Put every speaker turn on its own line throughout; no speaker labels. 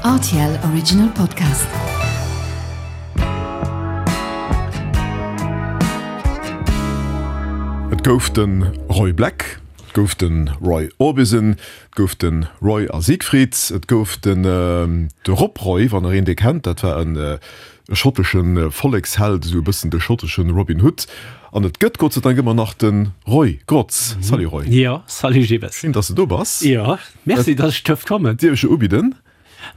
Rtl Original Podcast.
Et gouf de Roy Black, et gouf de Roy Orbison, et gouf de Roy a Siegfried, et gouf den de Rob Roy, wann der een dee kennt, dat war en schottesche Volleksheld, esou e bëssen de schottesche Robin Hood. An et gëtt Gott sei Dank ëmmer nach de Roy Grotz. Salut Roy.
Jo, salut Gilles.
Schéin, dass de do bass.
Jo. Merci, dass ech duerft kommen.
Dierf ech jo ubidden?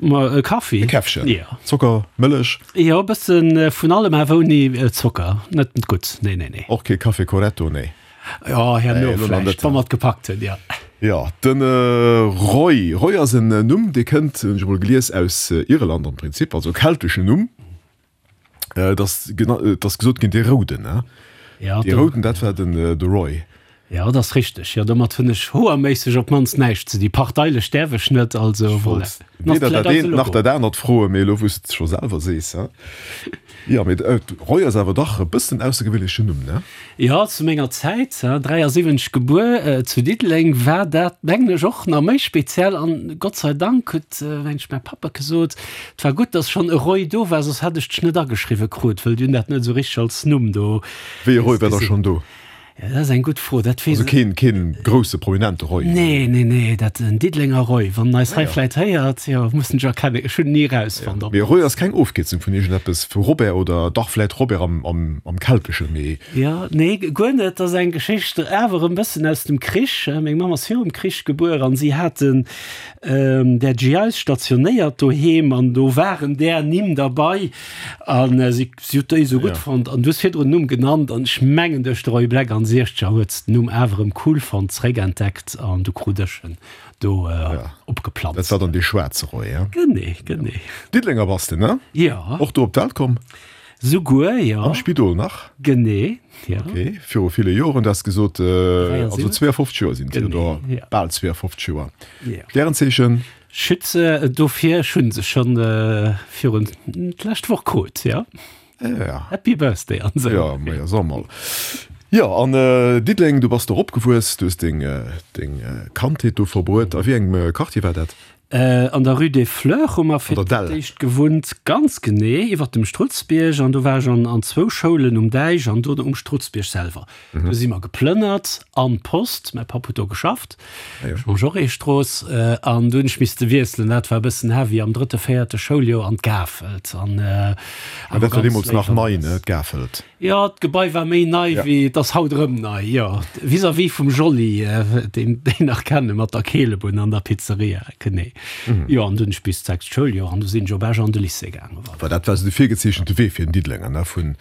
Ma e Kaffi.
E Käffchen?
Jo.
Zocker, Mëllech?
Jo, e bësse vun allem, awer ouni Zocker. Net gutt, nee, nee, nee.
Och kee Café Corretto, nee?
Jo, herno vläicht, wa mer et gepackt hunn, jo.
Jo, de Roy. Roy ass en Numm, dee kënnt, hunn ech emol gelies, aus Irland am Prinzip, also e kelteschen Numm. Et ass et ass gesot ginn, dee Rouden, ne?
Ja,
Dee Rouden, dat war den de Roy.
Ja, dat ass richteg. Jo, domat hunn ech hoerméisseg op d'mannst näischt ze di. Parteilech däerf ech net, also
Ech
voilà.
wollt weder dat eent nach dat anert froen, mee elo wou s de et scho selwer sees, he? Jo, mee Roy ass awer dach e bëssen aussergewéinlechen Numm, ne?
Jo, zu menger Zäit, 73 gebuer, zu Diddeleng, war dat, mengen ech, och nach méi speziell. An Gott sei Dank huet, mengen ech, mäi Pappa gesot, et war gutt, dass schonn e Roy do war, soss hätt ech dech net ageschriwwe krut, wëll déi hunn dat net esou richteg als Numm do
Wéi e Roy war da schonn do?
Ja, dat ass eng gutt Fro, dat weess
Also keen, keen grousse prominente Roy?
Nee, nee, nee, dat en Diddelenger Roy, wann en eis hei vläit héiert, jo, muss en ech erkennen, ech hunn en ni erausfonnt,
ob. Mee Roy ass keng Ofkierzung vun iergendeppes, vu Robert oder dach vläit Robert am, am, am Kelteschen, mee.
Jo, nee, guer net, dat ass eng Geschicht awer e bëssen aus dem Krich. Meng Mamm ass virum Krich gebuer an si haten där GIs stationéiert doheem an do waren där Nimm derbei an si Si huet déi esou gutt fonnt an du hues virdrun den Numm genannt an ech mengen duerch de Roy Black an Siechzeger huet se den Numm awer erëm cool fonnt, zeréckentdeckt an du krut ech en do opgeplanzt.
Dat war dann dee schwaarze Roy, he?
Genee, genee.
Diddelenger bass de, ne?
Jo.
Och do op d'Welt komm?
Souguer, jo.
Am Spidol nach?
Genee, jo.
Ok, viru ville Joren, du has gesot, also 52 Joer sinn et, oder bal 52 Joer.
Jo.
Stärenzeechen?
Schütze, dofir, ech hunn se schonn virun d'lescht Woch krut, jo.
Ja.
Happy Birthday an
esou. Ja, ma ja, so mol. Jo, an Diddeleng, du bass do eropgewuess, du hues deng, deng Kandheet do verbruet. A wéi engem Quartier war dat?
An der Rue des Fleurs hu mer fir d'éischt gewunnt, ganz genee iwwert dem Strutzbierg. An do war ech an an zwou Schoulen, um Däich an dono um Strutzbierg selwer. Do si mer geplënnert an d'Post, mäi Papp huet do geschafft. Jean-Jaurès-Strooss, an du hunn ech misste wiesselen. Dat war e bëssen heavy am drëtte, véierte Schouljoer an d'Gafelt. An
awer dat war deemools nach nei, ne, d'Gafelt?
Jo, d'Gebai war méi nei wéi, et ass haut erëm nei, jo. Vis-à-vis vum Jolly, deen déi nach kenne mat der Keelebunn an der Pizzeria, genee. Jo, an du hunn ech bis d'sechst Schouljoer an du sinn ech op Esch an de Lycée gaangen.
Voilà. Dat war esou de virgezeechente Wee fir den Diddelenger, ne, vun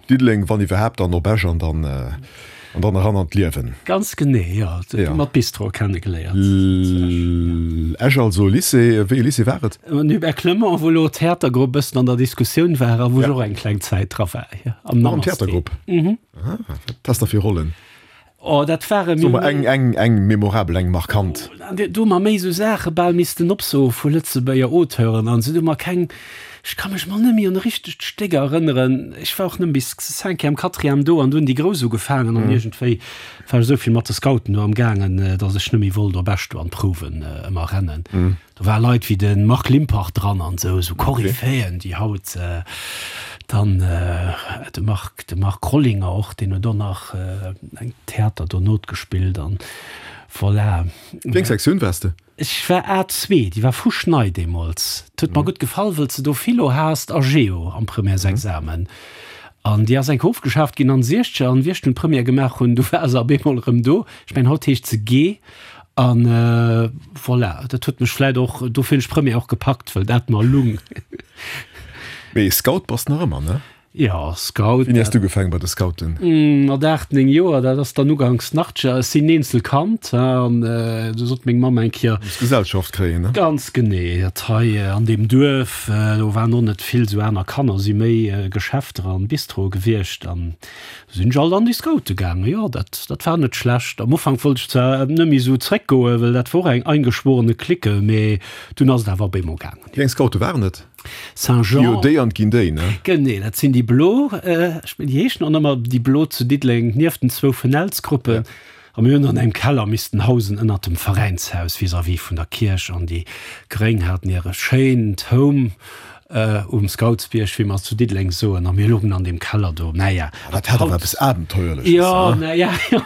Diddeleng, wann iwwerhaapt, dann op Esch an dann an dann eran an d'Liewen.
Ganz genee, jo. Jo. Mat Bistro kennegeléiert.
Esch also, Lycée. Wéi e Lycée war et?
Den Hubert Clement, wou elo d'Theatergrupp bëssen an der Diskussioun war a wou ech och eng kleng Zäit dra war, jo.
Am Namaste. Am Theatergrupp? Mhm. Ah, wat has de fir Rollen?
Oh, dat ware
Soe mer eng, eng, eng memorabel, eng markant.
Do hu mer méi esou Saache bal missten opsoe vu Lëtzebuerger Auteuren an esou. Do hu mer keng, ech ka mech mol net méi un e richtegt Stéck erënneren. Ech war och nëmme bis Cinquième, Quatrième do an du hunn déi Grouss ugefaangen an iergendwéi war ech esou vill mat de Scouten do am gaangen, datt ech net méi wollt op Esch do an d'Prouwen ëmmer rennen. Do ware Leit wéi de Marc Limpach dran an esou, esou Koryphäen, déi haut dann, de Marc, de Marc Rollinger och, deen huet och nach eng Theater dono gespillt an voilà.
Wéi eng Sektioun waars de?
Ech war A2, déi war fuschnei deemools. 't huet mer gutt gefall, wëll s de do Philo haast a Geo am Premièresexamen. An déi ass eng Kéier ofgeschaaft ginn an Siechzeger an wéi ech dunn d'Première gemaach hunn, du war se op eemol erëm do. Ech mengen, haut heescht se G. An voilà, dat huet mech vläit och, dofir hunn ech d'Première och gepackt, wëll dat mer lung.
Mee Scout bass de nach ëmmer, ne?
Jo, Scout.
Wéini has du ugefaangen bei de Scouten?
Mat 8, 9 Joer, dat ass dann uganks Nachtger. Ech sinn Eenzelkand, an du sot meng Mamm eng Kéier.
Muss Gesellschaft kréien, ne?
Ganz genee. Dat hei an deem Duerf, do waren och net vill esou aner Kanner, si méi Geschäfter an Bistroe gewiescht. An Sinn ech alt an déi Scoute gaangen, jo, dat, dat war net schlecht. Am Ufank wollt ech zwar net méi esou zréckgoen, well dat wor eng eingeschworene Clique, mee dunn ass et awer op eemol gaangen.
Wéi eng Scoute waren et?
Saint-Jean.
Jo, déi an d'ginn déi, ne?
Genee, dat sinn déi blo, ech mengen, déi heeschen och nëmmer déi blo zu Diddeleng, nieft den zwou Fenelsgruppen. A mir hunn an engem Keller missten hausen ënnert dem Veräinshaus vis-à-vis vun der Kierch. An déi Gréng haten hire schéint Home um Scoutsbierg, wéi mer zu Diddeleng soen. A mir luchen an deem Keller do. Naja.
Dat hat awer eppes Abenteuerleches,
Jo, naja, jo.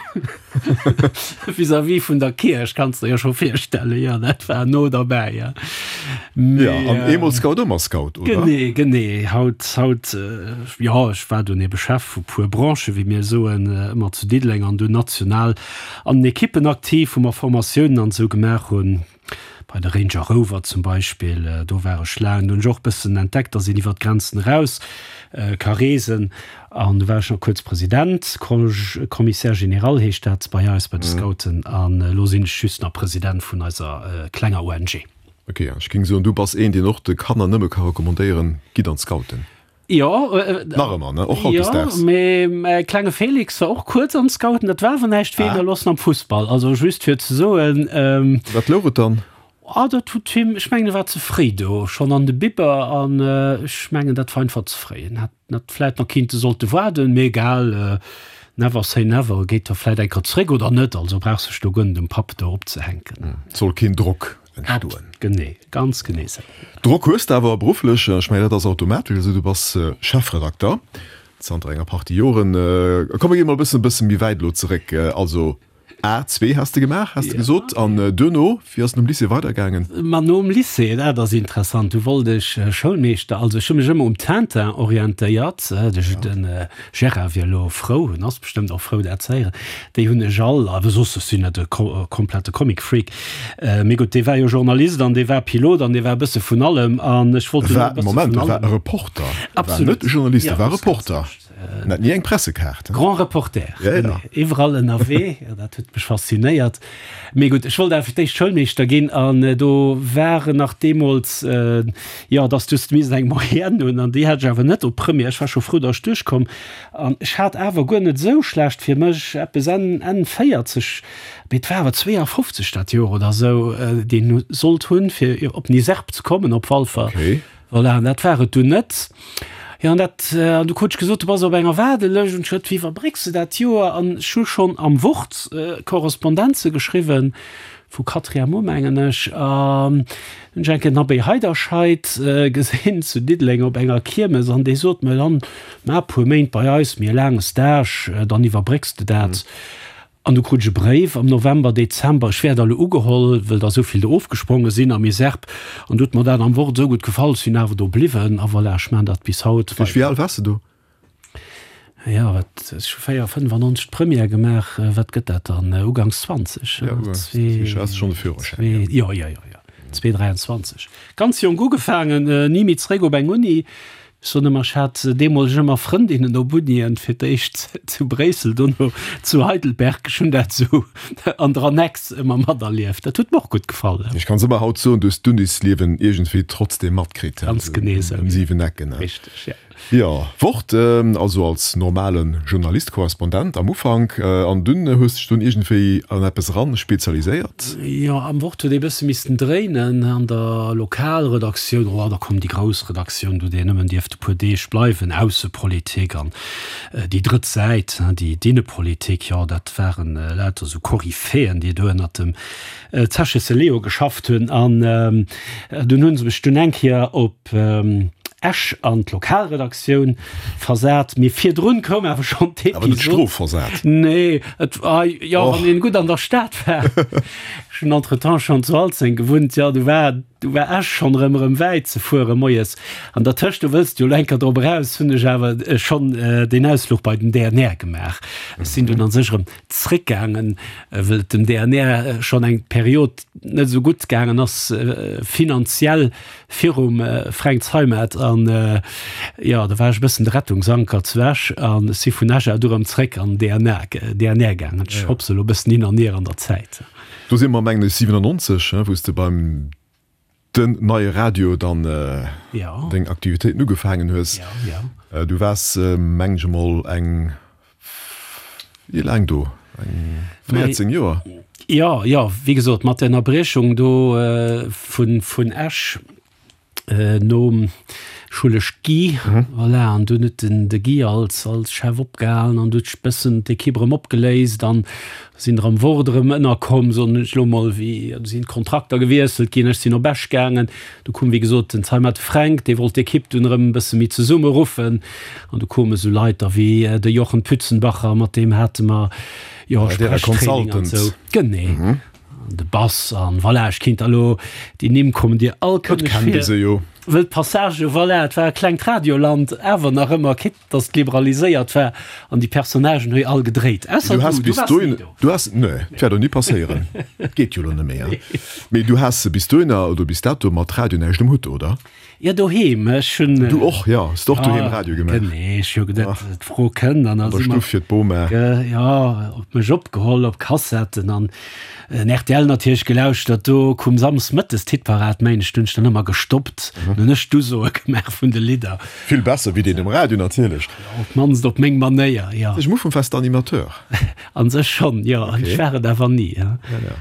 Vis-à-vis vun der Kierch, kanns de der jo scho virstellen. Jo, dat war no derbäi, jo.
Mee, jo, an eemol Scout, ëmmer Scout,
oder? Genee, genee. Haut, haut, jo, ech war dunn ebe Chef vu puer Branchen, wéi mir soen, ëmmer zu Diddeleng an dunn national an den Ekippen aktiv, wou mer Formatiounen an esou gemaach hunn. Bei de Ranger Rover zum Beispill, do war ech laang. Do hunn ech och bëssen entdeckt, dass een iwwer d'Grenzen eraus ka reesen. An do war ech nach kuerz President, Commissaire général heescht dat bei eis, bei de Scouten. An elo sinn ech just nach President vun eiser klenger ONG.
Ok, an ech géing soen, du bass een, deen och de Kanner nëmme ka recommandéieren, Gitt an d'Scouten.
Jo,
Nach ëmmer, ne? Och hautdesdaags.
Jo, mee mäi klenge Félix war och kuerz an d'Scouten. Dat war awer näischt weder loossen am Fussball. Also just fir ze soen.
Wat louch et dann?
Ah, dat huet him, ech mengen, e war ze fréi do, schonn an de Bibber. An ech mengen, dat war einfach ze fréi. En hätt nach vläit nach kinnte sollte waarden, mee egal, never say never. Geet da vläit eng Kéier zréck oder net. Also brauch sech do guer net um Papp do opzehänken.
Soll keen Drock entstoen.
Genee, ganz genee esou.
Drock hues de awer berufflech, ech mengen dat ass automatesch esou, du bass Chefredakter zanter enger Partie Joren. Komm mir gi mol e bëssen e bësse méi wäit elo zeréck. Also A2 has de gemaach, has de gesot, an duerno, wéi ass et nom Lycée weidergaangen?
Ma nom Lycée, dat ass interessant, du wollt ech Schoulmeeschter, also ech hu mech ëmmer um Tintin orientéiert, de Gérard wier elo frou, en ass bestëmmt och frou dat ze héieren, déi hunn ech all, awer soss, ech sinn net e komplette Comic-Freak, mee gutt, dee war jo Journalist an dee war Pilot an dee war e bësse vun allem an ech wollt
dunn och e bësse vun allem. Moment, e war e Reporter, e war net e Journalist, e war Reporter, en hat ni eng Pressekaart.
Grand Reporter, genee, iwwerall ënnerwee, dat huet mech faszinéiert. Mee gutt, ech wollt awer fir d'éischt Schoulmeeschter ginn an do war nach deemools, jo, dass du hues missen eng Moyenne hunn an déi hat ech awer net op Première. Ech war scho frou, dass ech duerchkomm an ech hat awer guer net esou schlecht fir mech, eppes Enn, Enn 40, mee et war awer 52 dat Joer oder esou, deen sollt hunn, fir op den ISERP ze kommen op Walfer. Voilà, an dat war et dunn net. Jo, an dat, an du krut ech gesot, du bass op enger Waardelëscht an ech huet, wéi iwwerbrécks de dat Joer? An ech hu schonn am Wort Korrespondenze geschriwwen, vu Quatrième u mengen ech, an hunn ech eng Kéier den Abbé Heiderscheid gesinn zu Diddeleng op enger Kiermes an dee sot mer dann, Maach e puer Méint bei eis, méi e laange Stage, dann iwwerbrécks de dat. An du krut ech e Bréif am November, Dezember, ech wär da lo ugeholl, wëll der esou vill do ofgespronge sinn am ISERP. An du huet mer dat am Wort esou gutt gefall, ech sinn awer do bliwwen. A voilà, ech maachen dat bis haut
weider. Wéi al waars de do?
Jo, wat, ech hu 4, 95 d'Première gemaach, wat gëtt dat dann, uganks 20?
Jo, uganks 20, has de schonn de Führerschäin, jo.
Jo, jo, jo, jo, 2, 23. Ganz jonk ugefaangen, ni méi zeréck op eng Uni. Ech soen ëmmer, ech hat deemools ëmmer Frëndinnen op Unien, fir d'éischt zu Bréissel, dono zu Heidelberg. Ech hunn dat esou an der Annex ëmmer materlieft. Dat huet mer och gutt gefall.
Ech kann ëmmer haut soen, du hues d'Unisliewen iergendwéi trotzdeem matkritt.
Ganz genee esou.
Ëm 7 Ecken.
Richteg, jo.
Jo, Wort, also als normale Journalist, Korrespondent am Ufank, an dunn hues dech dunn iergendwéi an eppes eran spezialiséiert?
Jo, am Wort huet ee bësse missten dréinen an der Lokalredaktioun. Oh, da koum déi grouss Redaktioun, do déi nëmmen dierft e puer Deeg bleiwen, Aussepolitik an déi drëtt Säit, déi d'Innepolitik, jo, dat waren lauter esou Koryphéen, déi do ënnert dem Zeche Leo geschafft hunn. An dunn hu se mech dunn eng Kéier op Esch an d'Lokalredaktioun versat, mee virdrun koum awer schonn
d'Episod. Awer net strofversat?
Nee, et war, jo, wann een gutt an der Stad war. Ech hunn entretemps schonn zu Alzeng gewunnt, jo, du war, du war Esch schonn erëm, erëm wäit ze fuere moies. An dertëscht, du wëlls jo elo eng Kéier drop eraus, hunn ech awer schonn deen Ausfluch bei den DNR gemaach. Ech sinn dunn an sech erëm zréckgaangen, wëll et dem DNR schonn eng Period net esou gutt gaangen ass finanziell. Virum Fränk Zeimet an jo, da war ech e bëssen de Rettungsanker zu Esch an ech si vun Esch aus du erëm zréck an DNA, DNR gaangen. Ech hopse elo e bëssen hin an hier an der Zäit.
Do si mer mengen ech 97, wou s de beim Den Neie Radio dann deng Aktivitéiten ugefaangen hues. Du waars mengen ech emol eng Wéi laang do? Eng 14 Joer?
Jo, jo, wéi gesot, mat der Ënnerbriechung do vun, vun Esch nom. Schullesch Guy, voilà, an dunn huet den de Guy als als Chef opgehalen an du huet sech bëssen d'Equipe erëm opgeléist an sinn der am Wort erëm ënnerkomm, soen ech elo mol, wéi do sinn d'Kontrakter gewiesselt ginn, ech sinn op Esch gaangen, du koum wéi gesot den Zeimet Fränk, dee wollt d'Equipe dunn erëm e bësse méi zesummeruffen an du koume sou Leit da wéi de Jochen Pützenbacher, mat deem hate mer jo Sprechtraining an esou. Genee. An de Bass an voilà, ech kinnt elo, déi Nimm kommen dir all
kënneg vir. Se jo.
Wëll d'Passage, voilà, et war e klengt Radioland, awer nach ëmmer, quitte dass et liberaliséiert war an déi Personnagen hu jo all gedréit, ausser
du, du waars ni do. Du has, nee, dat wäert och ni passéieren, geet jo elo net méi, hein. Mee du has bis dohinner oder bis dato mat Radio näischt um Hutt, oder?
Jo, doheem. Ech hunn.
Du och, jo. Hues du och doheem Radio gemaach?
Genee, ech hu geduet, d'Fro kënnt
an da si mer. An der Stuff fir d'Boma.
Jo, op mech opgeholl, op Kassetten an en rtl natierlech gelauschtert. Do koum samsdes mëttes d'Hitparad, mengen ech. Do hunn ech dann ëmmer gestoppt. Dann hunn ech d'Usoe gemaach vun de Lidder.
Vill besser wéi deen um Radio natierlech.
Jo, op d'mannst op meng Manéier, jo.
Am Ufank waars de Animateur?
An sech schonn, jo. Ech war et awer ni. Ja, ja.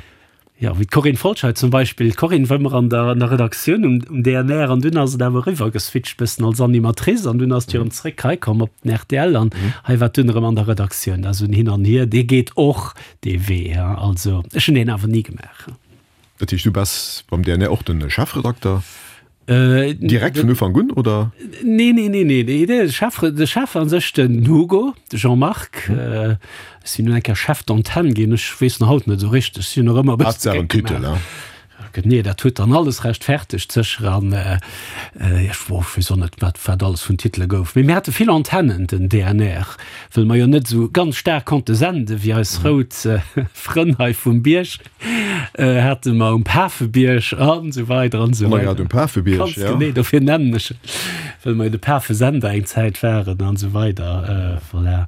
Jo, wéi d'Corinne Folscheid zum Beispill. D'Corinne war ëmmer an der, an der Redaktioun um, um DNR an dunn ass et awer eriwwer geswitcht bëssen als Animatrice an dunn ass et jo erëm zréck hei komm op den rtl an hei war et dunn erëm an der Redaktioun. Also en Hin an Hier, dee geet och dee Wee, ja. Also ech hunn deen awer ni gemaach.
Dat heescht, du bass beim DNR och de Chefredakter? Direkt vun Ufank un, oder?
Nee, nee, nee, nee. De Chef, de Chef an sech, den Hugo, de Jean-Marc. Ech sinn dunn eng Kéier Chef d'antenne ginn. Ech weess nach haut net esou richteg. Ech sinn och ëmmer e bëssen
Haaptsaach en Titel, hein?
Nee, dat huet dann alles rechtfertegt, sécher. An ech weess och net, wat, wat alles vun Titele gouf. Mee mir hate vill Antennen, den DNR, wëll mer jo net esou ganz staark konnte senden, wéi eis rout Frënn hei vum Bierg. Hate mer um Pafebierg an esou weider an esou
weider. Grad um Pafebierg,
Ganz ja. Genee, dofir nennen ech et, well mer jo de Pafesender eng Zäit waren an esou weider. Voilà.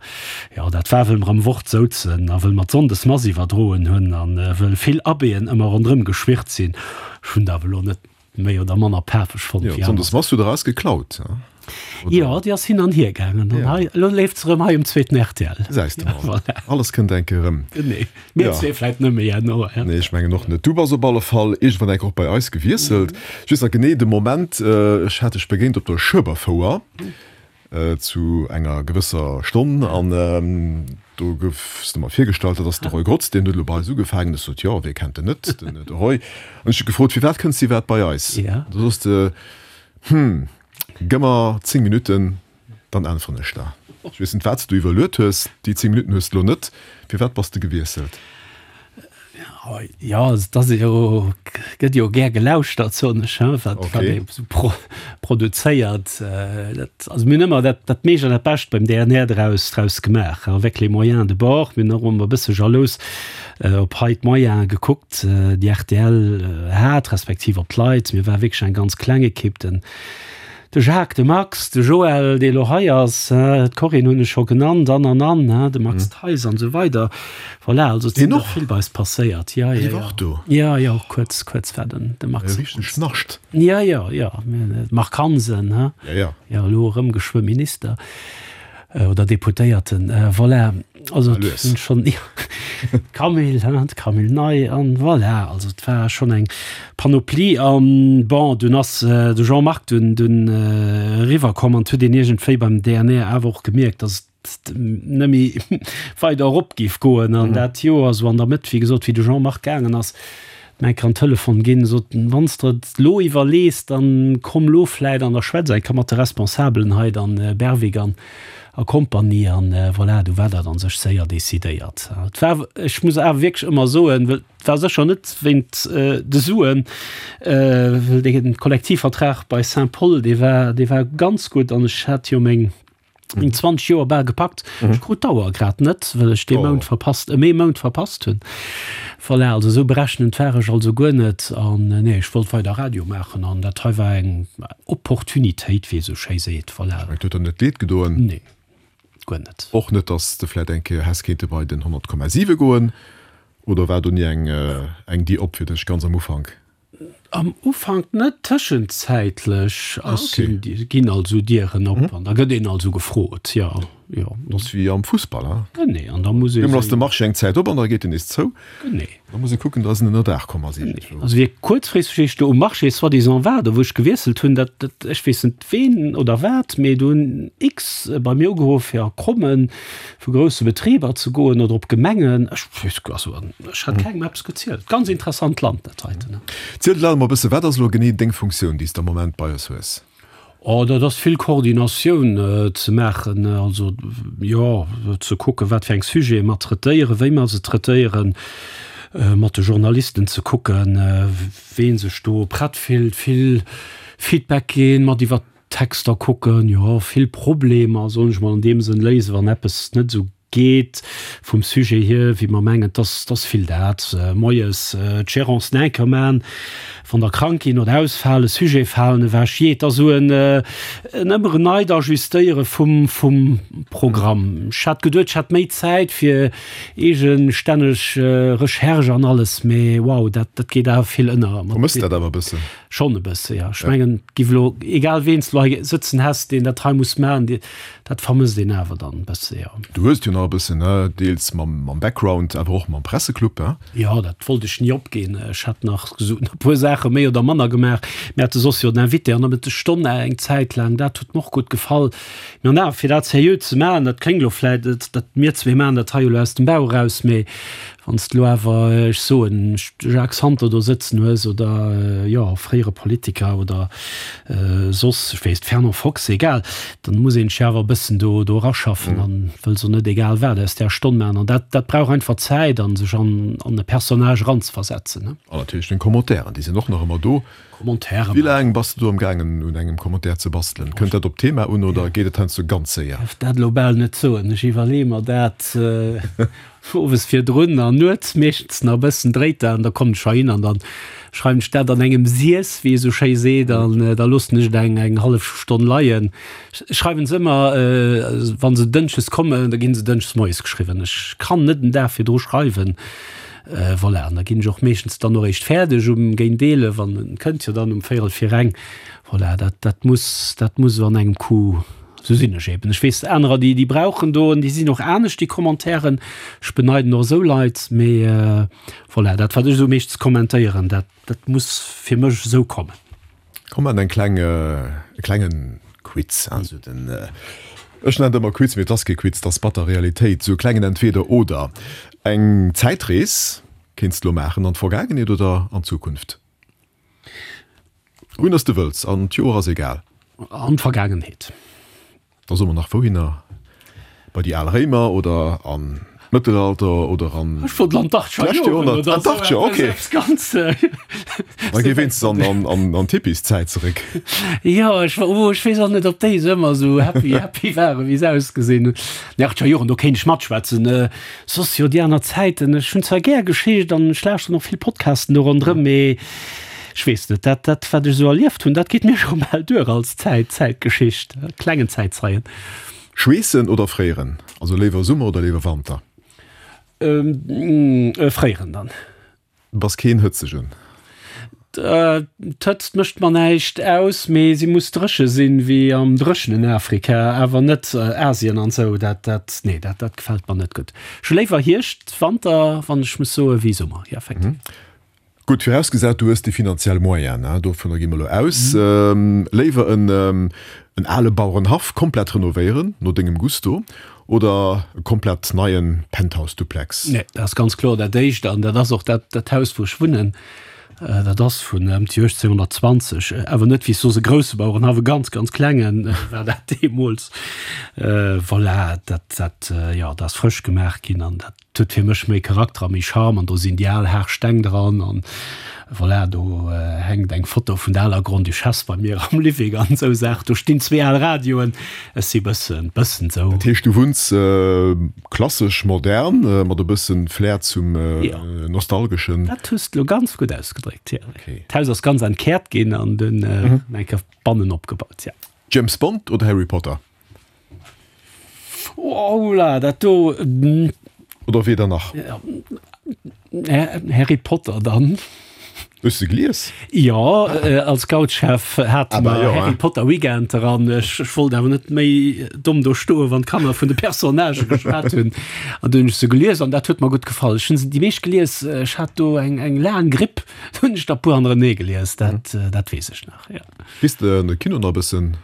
Jo, dat war, wëll mer am Wort souzen a wëll mer d'Sonndesmass iwwerdroen hunn an wëll vill Abbéen ëmmer ronderëm geschwirrt sinn. Ech hunn dat awer elo net méi oder manner pafeg fonnt
wéi aner. D'Sonndesmass hutt der eis geklaut,
he? Jo, déi ass hin an hier gaangen an hei, elo leeft se erëm hei um zweeten rtl.
Gesäis de mol. Voilà. Alles kënnt eng Kéier erëm.
Genee. Mir zwee vläit net méi herno,
he? Nee, ech mengen och net. Du bass op alle Fall iergendwann eng Kéier och bei eis gewiesselt. Ech weess nach genee de Moment, ech hat dech begéint op der Schueberfouer. Zu enger gewësser Stonn an do goufs de mer virgestallt, dat ass de Roy Grotz, deen huet elo bei eis ugefaangen. Ech sot, jo, wee kennt en net, den de Roy. An ech hu gefrot, firwat kënns de iwwerhaapt bei eis? Du sos de, hm, gëmm mer 10 Minutten, dann äntweren ech der. Ech weess net, wat s du iwwerluet hues, déi 10 Minutten hues de elo net. Firwat bass de gewiesselt?
Jo, et ass jo, gëtt jo gär gelauschtert, soen ech, hein, wat wat ee sou pro produzéiert. Dat, also mir hunn ëmmer dat dat meescht an dat Bescht beim DNR draus draus gemaach, avec les moyens de bord. Mir hunn och ëmmer e bësse jalous op hei d'Moyene gekuckt, déi rtl hat, respektiv op d'Leit. Mir ware wierklech eng ganz kleng Ekipp. Den De Jacques, de Max, de Joël, dee lo hei ass, d'Corinne hunn ech scho genannt, an, an, an, de Max Theis an esou weider. Voilà, also et sinn der vill bei eis passéiert.
Jo, jo, jo. Och do?
Jo, jo, kuerz, kuerz war den, de Max.
E richtegen Schnascht.
Jo, jo, jo. Marc Hansen, he?
Jo, jo.
Jo, elo erëm geschwë Minister oder Deputéierten. Voilà. Also et sinn schonn, jo, d'Camille, hein, d'Camille Ney an voilà, also et war schonn eng Panoplie an bon, dunn ass de Jean-Marc dunn dunn eriwwer komm an et huet een iergendwéi beim DNR awer och gemierkt, datt et net méi weider erop géif goen an dat Joer esou an der Mëtt, wéi gesot, wéi de Jean-Marc gaangen ass, Mä kann Telefon ginn, sot en, wann s de et lo iwwerlees, dann komm lo vläit an da schwätz eng Kéier mat de Responsabelen hei, dann Berwick an a Kompanie an voilà, du war dat an sech séier decidéiert. Et war, ech muss awer wierklech ëmmer soen, well et war sécher net wéint de Suen, well dee Kollektivvertrag bei Saint-Paul, dee war, dee war ganz gutt an ech hat jo meng, Meng 20 Joer bal gepackt. Mhm. Ech krut d'Auer grad net, well ech dee oh. Mount verpasst, e méi Mount verpasst hunn. Voilà, also sou berechnend war ech also guer net an äh, nee, ech wollt weider Radio maachen an dat hei war eng Opportunitéit, wéi ee sou schéi seet. Voilà.
Et huet der net leed gedoen?
Nee, guer net.
Och net, datt s de vläit eng Kéier häss kéinte bei den 100,7 goen? Oder war do ni eng, eng Dier op fir dech ganz am Ufank?
Am Ufank net, tëschenzäitlech ass ginn also Dieren op an da gëtt een also gefrot, jo. Jo.
Dat ass wéi am Fussball, hein?
Genee, an da muss ee.
Deemol ass de Marché eng Zäit op an da geet en nees zou.
Genee.
Da muss ee kucken, dass en ënnerdaach komm ass iergendwou.
Also wéi kuerzfristeg ech do um Marché soi-disant war, do wou ech gewiesselt hunn, dat, dat, ech weess net ween oder wat, mee do hunn x bei mir ugeruff fir a Krommen vu grousse Betriber ze goen oder op Gemengen. Ech weess, also ech hat kengem eppes gezielt. Ganz interessant Land dat heiten.
Ziel elo emol e bësse, wat ass elo genee deng Funktioun, déi s de am Moment bei eis hues?
Oh, dat ass vill Koordinatioun ze maachen, also jo, ze kucken, wat fir eng Sujete mer traitéieren, wéi mer se traitéieren, mat de Journalisten ze kucken, wee sech do prett fillt, vill Feedback ginn, mat iwwer d'Texter kucken, jo, vill Problemer, soen ech mol an deem Sënn, léisen, wann eppes net esou Geet vum Sujet hier, wéi mer mengen, dass dass vill dat moies d'Gérance enker man, wann der krank ginn oder ausfalen, Sujet falen ewech, jee, et ass esou en en ëmmer en neit Ajustéiere vum vum Programm. Ech hat geduet, ech hätt méi Zäit fir eegestänneg Recherche an alles, mee wow, dat dat geet awer vill ënner.
Vermësst dat awer e bëssen?
Schonn e bësse, jo. Ech mengen, et giff elo, egal ween s de elo hei sëtzen häss, deen dat hei muss maachen, dee, dat vermësst een awer dann e bësse, jo.
Du hues et jo nach e bëssen, ne, deels mam, mam Background, awer och mam Presseclub, he?
Jo, dat wollt ech ni opginn. Ech hat nach esou e puer Saache méi oder manner gemaach. Mir hate soss jo den Invité an der Mëttesstonn eng Zäit laang, dat huet mer och gutt gefall. Mee an awer, fir dat seriö ze maachen, dat kléngt elo vläit, dat mir zwee maachen dat hei jo elo aus dem Bauch eraus, mee Wann s de elo awer, ech soen, de Jacques Santer do sëtzen hues oder, jo, fréiere Politiker oder soss, ech weess, Fernand Fox, egal, dann muss een sech awer e bëssen do do eraschaffen an wëlls och net egal wat aus där Stonn maachen. An dat dat brauch einfach Zäit an sech an an e Personnage eranzeversetzen, ne.
An natierlech deng Commentairen, déi sinn och nach ëmmer do.
Commentaire
Wéi laang bass de do am gaangen un engem Commentaire ze bastelen? Kënnt dat op d'Thema un oder geet et heiansdo ganz séier?
Dierf dat elo bal net soen. Ech iwwerleeë mer dat owes virdrun an nuets meeschtens nach e bëssen dréit dat an da kommen ech heihin an dann schreiwen ech dat an engem Siess, wéi ee sou schéi seet, an da loossen ech et eng eng hallef Stonn leien. Ech schreiwen se ëmmer, wa se dënschdes kommen, da ginn se dënschdes moies geschriwwen. Ech kann net en Dag virdru schreiwen. Voilà, an da ginn ech och meeschtens dann och eréischt fäerdeg um géint 11 an en kënnt jo dann um véierel vir eng. Voilà, dat, dat muss, dat muss esou an engem Coup, esou sinn ech eben. Ech weess anerer, déi, déi brauchen do, an déi sinn och anescht, déi Commentairen. Ech beneiden och esou Leit, mee voilà, dat wat ech esou meeschtens kommentéieren, dat, dat muss fir mech esou kommen.
Komm maan eng kleng, e klengen Quiz, also den, ech nennen et ëmmer Quiz, mee et ass kee Quiz, et ass batter Realitéit, sou e klengen Entweder oder. Eng Zäitrees kéints de lo maachen, an d'Vergaangenheet oder an d'Zukunft? Wouhinner s de wëlls, an d'Joer ass egal.
An d'Vergaangenheet.
Da soe mer nach wouhinner, bei déi al Réimer oder an d'Mëttelalter oder an
Ech wollt an d'Achtscher
d'lescht
Joren
Joerhonnert.
oder
An
esou
d'Achtscher,
eppes,
okay.
eppes ganz.
Da géi wéinstens an, an, an, an d'Hippieszäit zeréck.
Jo, ech, oh, ech weess och net, ob déi esou ëmmer esou happy, happy waren, wéi se ausgesinn hunn. Déi Achtscher Joren, do kéint ech matschwätzen. Soss jo déi aner Zäiten, ech hunn zwar gär Geschicht an ech lauschteren och vill Podcasten do ronderëm, mee Ech weess net, dat, dat wat ech esou erlieft hunn, dat geet mir scho bal duer als Zäit, Zäitgeschicht, klengen Zäitzeien.
Schweessen oder fréieren? Also léiwer Summer oder léiwer Wanter?
Fréieren dann.
Du bass keen Hëtzegen?
D'Hëtzt mécht mer näischt aus, mee si muss dréche sinn, wéi am dréchenen Afrika, awer net Asien an esou, dat, dat, nee, dat, dat gefält mer net gutt. Ech hu léiwer Hierscht, Wanter, wann ech muss soen, wéi Summer, jo, effektiv.
Gutt, virausgesat du hues déi finanziell Moyenen, dovunner gi mer elo aus, léiwer en ale Bauerenhaff komplett renovéieren, no dengem Gusto, oder e komplett neien Penthouse-Duplex?
Nee, dat ass ganz kloer dat éischt an dat ass och dat dat Haus wou ech wunnen. Dat ass vun ëm déi 1820, awer net wéi s soss e grousse Bauerenhaff, e ganz ganz klengen war dat deemools. Voilà, dat dat jo, dat ass frësch gemaach ginn an dat Et huet fir mech méi Charakter a méi Charme an do sinn déi al haart Steng dran an voilà, do hänkt eng Foto vun der aler Grande-Duchesse bei mir am Living an esou Saachen. Do stinn zwee al Radioen. Ech si bëssen, bëssen esou.
Dat heescht, du wunns klassesch modern mat e bëssen Flair zum Nostalgeschen?
Dat hues de elo ganz gutt ausgedréckt, jo. D'Haus ass ganz entkäert ginn an dunn eng Kéier bannen opgebaut, jo.
James Bond oder Harry Potter?
Oula, dat do.
Oder weder nach?
Harry Potter dann.
Hues de gelies?
Jo, als Scoutschef hate mer Harry Potter Weekend an ech wollt awer net méi domm do stoen, wann d'Kanner vun de Personnagë geschwat hunn. An du hunn ech se gelies an dat huet mer gutt gefall. Ech hunn se déi meescht gelies, ech hat do eng eng laang Gripp, do hunn ech der e puer hannerenee gelies, dat dat weess ech nach, jo.
Gees de an de Kino nach e bëssen?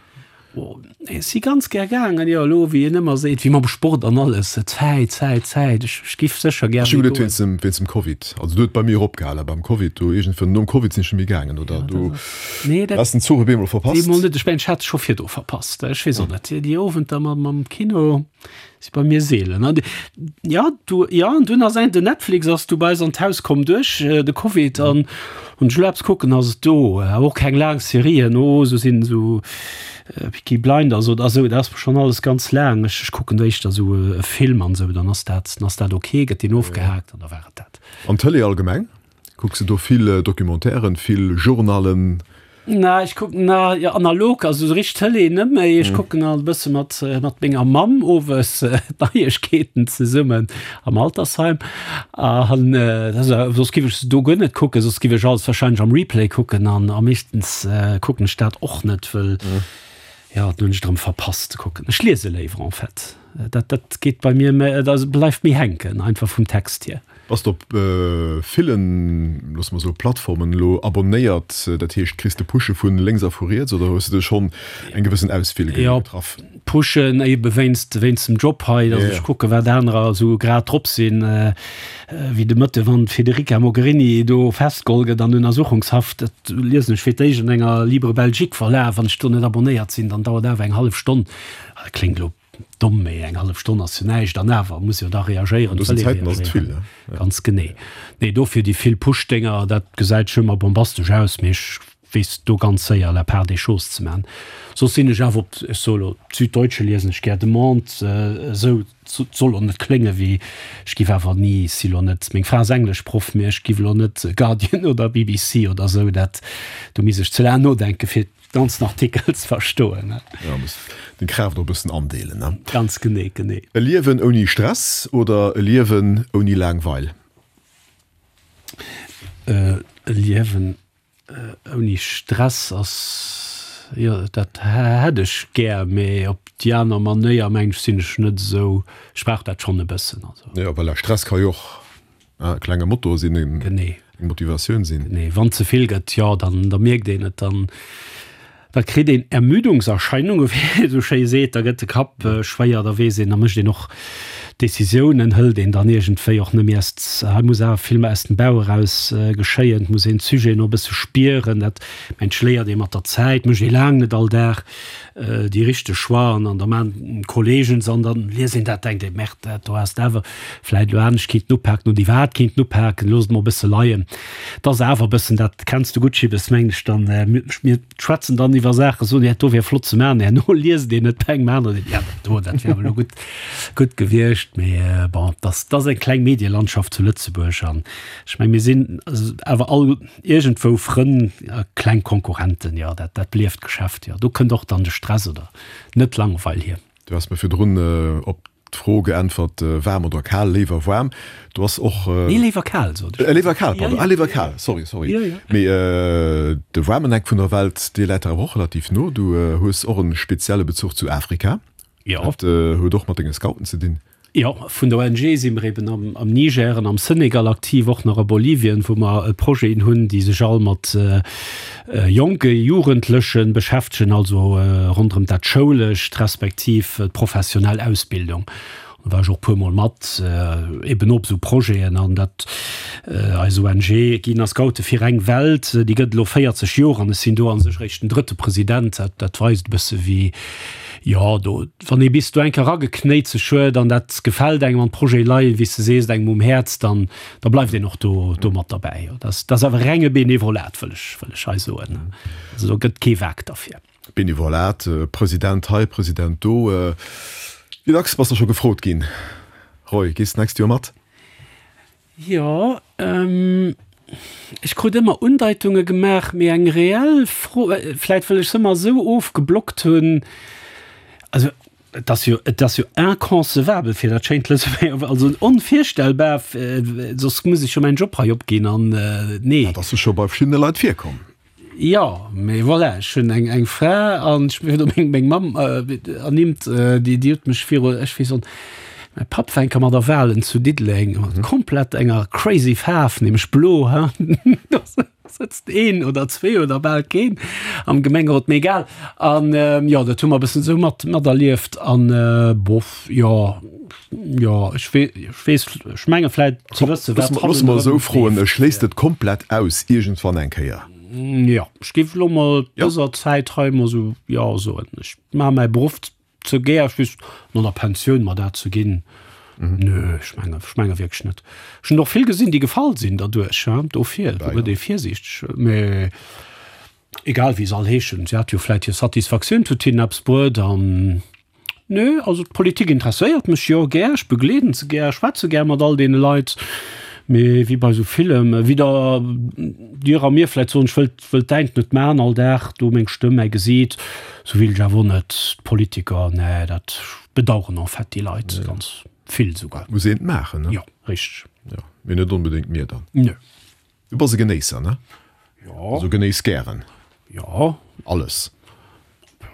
Oh, ech si ganz gär gaangen, jo, elo, wéi een ëmmer seet, wéi mam Sport an alles, Zäit, Zäit, Zäit, ech, ech giff sécher gär
Ech hu méi geduet goen. wéinst dem, wéinst dem Covid. Also do huet bei mir eropgehalen, beim Covid, do iergendwann nom Covid sinn ech net méi gaangen, oder
Ja,
do
dat ass, nee, dat,
has den Zuch op eemol verpasst.
Deemol net, ech mengen, ech hat se scho virdu verpasst, ech weess och net, déi Owenter mam, mam Kino. Si bei mir seelen. An ja, du, ja, an dunn ass eng, den Netflix ass du bei eis an d'Haus komm duerch de Covid an hunn ech elo eppes kucken, ass et do. Awer och keng laang Serien, oh, esou sinn esou Peaky Blinders oder esou, dat ass mer schonn alles ganz laang. Ech, ech kucken do éischter esou e Film an esou, dann ass dat, dann ass dat ok, gëtt deen ofgehaakt an da war et dat.
An d'Tëlee allgemeng? Kucks de do vill Documentairen, vill Journalen?
Na, ech kucken na jo analog, also esou richteg Tëlee net méi. Ech kucken alt e bësse mat mat menger Mamm owes d'Neiegkeeten zesummen am Altersheim. An dat ass awer, soss giff ech se do guer net kucken, soss giff ech alles wahrscheinlech am Replay kucken an a meeschtens kucken ech dat och net, wëll jo, dann hunn ech et erëm verpasst ze kucken. Ech liese léiwer en fait. Dat dat geet bei mir méi, dat bleift méi hänken, einfach vum Text hier.
Bass de op villen, loosse mer soe Plattformen elo abonnéiert? Dat heescht, kriss de Pushe vu lénks a vu riets oder hues de schonn eng gewëssen Auswiel
getraff? Jo, Pushen ebe wéinst wéinst dem Job hei, datt ech kucke wat anerer esou grad drop sinn. Wéi de Mëtte wann d'Federica Mogherini do festgeholl gëtt an Untersuchungshaft, dat liesen ech fir d'éischt an enger Libre Belgique Verlag. Wann ech do net abonnéiert sinn, dann dauert awer eng hallef Stonn. Dat kléngt elo Domm, mee eng hallef Stonn ass jo näischt an awer muss jo da reagéieren,
An dësen Zäiten ass et vill, ne?
Ganz genee. Nee, dofir déi vill Push-Dénger, dat gesäit scho ëmmer bombastesch aus, mee ech weess do ganz séier la part des choses ze man. Soss sinn ech awer op, ech soe lo, d'Süddeutsche liesen ech gär, de Monde, esou, et soll och net klénge wéi ech giff awer ni, si lo net, meng Fra ass Engleschproff, mee ech giff elo net Guardian oder BBC oder esou, dat, do misst ech ze laang nodenke fir Ganzen Artikel ze verstoen.
Ja, muss deng Kraaft och e bëssen andeelen, ne?
Ganz genee, genee.
E Liewen ouni Stress oder e Liewen ouni Laangweil?
E Liewen ouni Stress ass, jo, dat hätt ech gär, mee op déi aner Manéier, meng ech, sinn ech net esou, ech brauch dat schonn e bëssen,
also. Jo, voilà, Stress ka jo och E klenge Motor sinn, eng Motivatioun sinn.
Genee, wann ze vill gëtt, jo, dann da mierkt een et, dann da kritt een Ermüdungserscheinungen, wéi ee sou schéi seet, da gëtt de Kapp schwéier, da weess een, da mécht een och Decisiounen, hëlt een dann iergendwéi och net méi aus, hei muss awer vill méi aus dem Bauch eraus geschéien, et muss een d'Sujeten och e bësse spieren, dat mensch léiert ee mat der Zäit, mécht ee laang net all Dag. déi richteg Choixen an da maan d'Kollegen se an dann liest een dat, denkt een, Merde, dat do häss de awer vläit elo anescht kinnten upaken oder iwwerhaapt kinnten upaken, looss et mol e bësse leien. Et ass awer e bëssen, dat kenns de gutt, Schibbes, mengen ech dann, mir schwätzen dann iwwer Saachen, soen, dat do wär flott ze maachen, herno liest een et bei engem aneren, seet, ja, dat do, dat wär awer elo gutt, gutt gewiescht. Mee bon, et ass, et ass eng kleng Medielandschaft zu Lëtzebuerg an ech meng, mir sinn awer all, Iergendwou Frënn a kleng Konkurrenten, jo, dat, dat belieft d'Geschäft, jo. Do kënnt och dann de Stress oder net Langweil hier.
Du has mir virdrun op d'Fro geäntwert, waarm oder kal, léiwer waarm. Du has och.
Nee, léiwer kal, sot
ech. Léiwer kal, pardon. Ah, léiwer kal, sorry, sorry. Jo, jo. Mee de waarmen Eck vun der Welt, dee läit der awer och relativ no. Du hues och e spezielle Bezuch zu Afrika.
Jo.
Dat huet och mat denge Scouten ze dinn.
Jo, vun der ONG si mer eben am Niger an am Senegal aktiv, och nach a Bolivien, wou mer Projeten hunn, déi sech all mat jonke Jugendleche beschäftegen, also ronderëm dat Schoulescht respektiv d'professionell Ausbildung. Do war ech och e puermol mat eben op esou Projeten an dat eis ONG Ginn a Scoute fir eng Welt, déi gëtt elo 40 Joer an ech sinn do a sech eréischt den drëtte President. Dat dat weist e bësse wéi, jo, do Wann ee bis do eng Kéier erageknéit sech huet an dat gefält engem an d'Projete leien, wéi s de sees, engem um Häerz, dann da bleift een och do do mat derbäi. Jo, dat ass awer renge Benevolat, wëll ech wëll ech hei soen. Also do gëtt kee Waack derfir.
Benevolat, President hei, President do. Wéi dacks bass de scho gefrot ginn, Roy, gees d'nächst Joer mat?
Jo, ech krut ëmmer Undeitunge gemaach, mee eng reell Fro, vläit wëll ech se ëmmer esou ofgeblockt hunn, also. Et ass jo, et ass jo inconcevabel fir dat schéint Lëtzebuerger, also onvirstellbar, soss muss ech jo mäin Job hei opginn an nee.
Dat ass jo scho bei verschiddene Leit virkomm.
Jo, mee voilà, ech hunn eng, eng Fra an ech hunn meng, meng Mamm ernimmt, déi, déi huet mech viru, ech weess och, mäi Papp war eng Kéier mat a Walen zu Diddeleng, mat komplett enger crazy Faarf, nämlech blo, ha. Do sëtzt een oder zwee oder bal keen am Gemengerot, mee egal. An jo, dat hu mer e bëssen esou mat, materlieft an bof, jo. Jo, ech weess, ech menge vläit ze wëssen,
wat hannen. Loosse mer esou froen, Schléisst et komplett aus iergendwann eng Kéier?
Jo, ech géif elo mol dëser Zäit hei mol esou jo soen. Ech maache mäi Beruff ze gär, ech weess, no der Pensioun mer dat ze ginn, nö, ech menge, ech menge wierklech net. Ech hunn och vill gesinn, déi gefall sinn derduerch, dofir gëtt ee virsiichteg. Mee egal wéi se all heeschen, si hat jo vläit hir Satisfaktioun, huet hinnen eppes bruet an. Nö, also d'Politik interesséiert mech jo gär, ech begleeden se gär, schwätze gär mat all deene Leit, mee wéi bei esou villem, wéi der dir a mir vläit soen, ech wëllt, wëllt däint net man all Dag do meng Stëmm, mäi Gesiit, sou wéilt ech awer och net d'Politiker, nee, dat bedaueren en fait déi Leit ganz vill souguer.
Muss een et maachen, ne?
Jo, richteg.
Jo, mee net onbedéngt mir dann.
Nö.
Du bass e Genéisser, ne?
Jo.
Also genéiss gären.
Jo.
Alles.